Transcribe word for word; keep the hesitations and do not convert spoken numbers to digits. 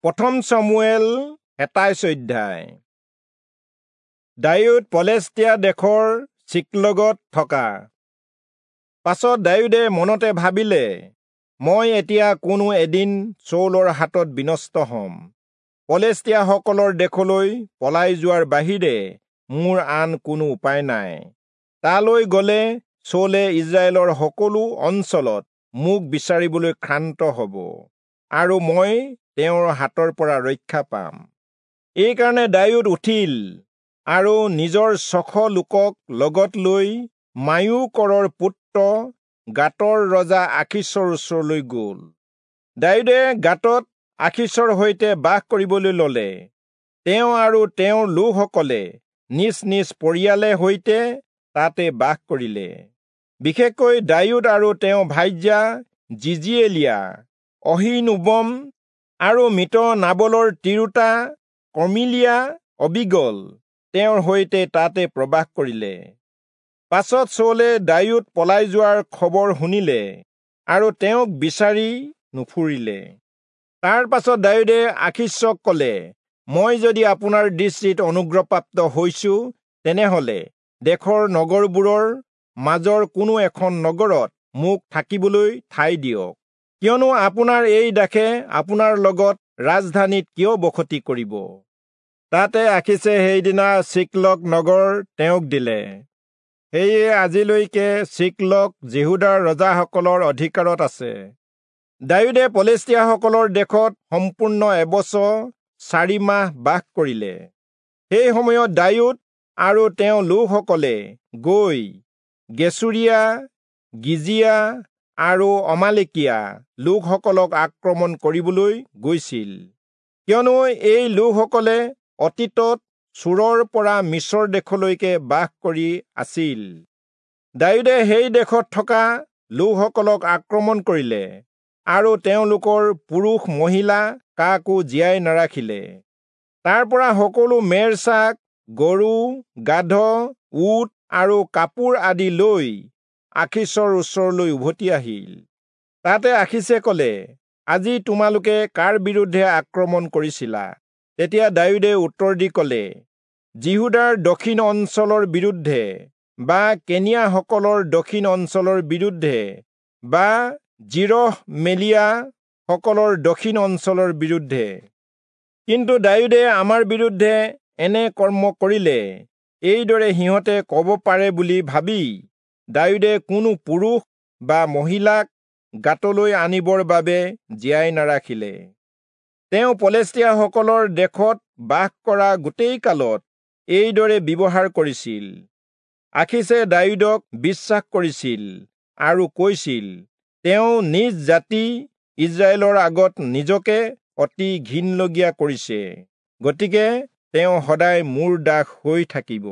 প্ৰথম চমুৱেল সাতাইশ অধ্যায়। দায়ূদ পলেষ্টীয়া দেশৰ চিকলগত থকা। পাছত দায়ূদে মনতে ভাবিলে, মই এতিয়া কোনো এদিন চৌলৰ হাতত বিনষ্ট হম। পলেষ্টীয়াসকলৰ দেশলৈ পলাই যোৱাৰ বাহিৰে মোৰ আন কোনো উপায় নাই। তালৈ গলে চৌলে ইজৰাইলৰ সকলো অঞ্চলত মোক বিচাৰিবলৈ ক্ষান্ত হব আৰু মই তেওঁৰ হাতৰ পৰা ৰক্ষা পাম। এইকাৰণে দায়ূদ উঠিল আৰু নিজৰ ছশ লোকক লগত লৈ মায়োকৰৰ পুত্ৰ গাতৰ ৰজা আখীচৰ ওচৰলৈ গল। দায়ূদে গাতত আখীচৰ সৈতে বাস কৰিবলৈ ললে। তেওঁ আৰু তেওঁৰ লোকসকলে নিজ নিজ পৰিয়ালে সৈতে তাতে বাস কৰিলে। বিশেষকৈ দায়ূদ আৰু তেওঁ ভাৰ্যা জিজিয়েলীয়া, অহীনোৱম আৰু মৃত নাবলৰ তিৰোতা কৰ্মিলীয়া অবীগল তেওঁৰ সৈতে তাতে প্ৰবাস কৰিলে। পাছত চৌলে দায়ূদ পলাই যোৱাৰ খবৰ শুনিলে আৰু তেওঁক বিচাৰি নুফুৰিলে। তাৰ পাছত দায়ূদে আখীচক কলে, মই যদি আপোনাৰ দৃষ্টিত অনুগ্ৰহপ্ৰাপ্ত হৈছো, তেনেহলে দেশৰ নগৰবোৰৰ মাজৰ কোনো এখন নগৰত মোক থাকিবলৈ ঠাই দিয়ক। কিয়নো আপোনাৰ এই দাসে আপোনাৰ লগত ৰাজধানীত কিয় বসতি কৰিব? তাতে আখীচে সেইদিনা চিকলগ নগৰ তেওঁক দিলে। সেয়ে আজিলৈকে চিকলগ যিহূদাৰ ৰজাসকলৰ অধিকাৰত আছে। দায়ূদে পলেষ্টীয়াসকলৰ দেশত সম্পূৰ্ণ এবছৰ চাৰি মাহ বাস কৰিলে। সেই সময়ত দায়ূদ আৰু তেওঁ লোকসকলে গৈ গেচুৰীয়া, গিজিয়া আৰু অমালেকীয়া লোকসকলক আক্ৰমণ কৰিবলৈ গৈছিল। কিয়নো এই লোকসকলে অতীতত চূৰৰ পৰা মিচৰ দেশলৈকে বাস কৰি আছিল। দায়ূদে সেই দেশত থকা লোকসকলক আক্ৰমণ কৰিলে আৰু তেওঁলোকৰ পুৰুষ মহিলা কাকো জীয়াই নাৰাখিলে। তাৰ পৰা সকলো মেৰ ছাগ, গৰু, গাধ, উট আৰু কাপোৰ আদি লৈ আখীচৰ ওচৰলৈ উভতি আহিল। তাতে আখীচে কলে, আজি তোমালোকে কাৰ বিৰুদ্ধে আক্ৰমণ কৰিছিলা? তেতিয়া দায়ূদে উত্তৰ দি কলে, যিহূদাৰ দক্ষিণ অঞ্চলৰ বিৰুদ্ধে বা কেনীয়াসকলৰ দক্ষিণ অঞ্চলৰ বিৰুদ্ধে বা যিৰহমেলীয়া সকলৰ দক্ষিণ অঞ্চলৰ বিৰুদ্ধে। কিন্তু দায়ূদে আমাৰ বিৰুদ্ধে এনে কৰ্ম কৰিলে, এইদৰে সিহঁতে কব পাৰে বুলি ভাবি দায়ূদে কোনো পুৰুষ বা মহিলাক গাতলৈ আনিবৰ বাবে জীয়াই নাৰাখিলে। তেওঁ পলেষ্টীয়াসকলৰ দেশত বাস কৰা গোটেই কালত এইদৰে ব্যৱহাৰ কৰিছিল। আখীচে দায়ূদক বিশ্বাস কৰিছিল আৰু কৈছিল, তেওঁ নিজ জাতি ইজৰাইলৰ আগত নিজকে অতি ঘিণলগীয়া কৰিছে, গতিকে তেওঁ সদায় মোৰ দাস হৈ থাকিব।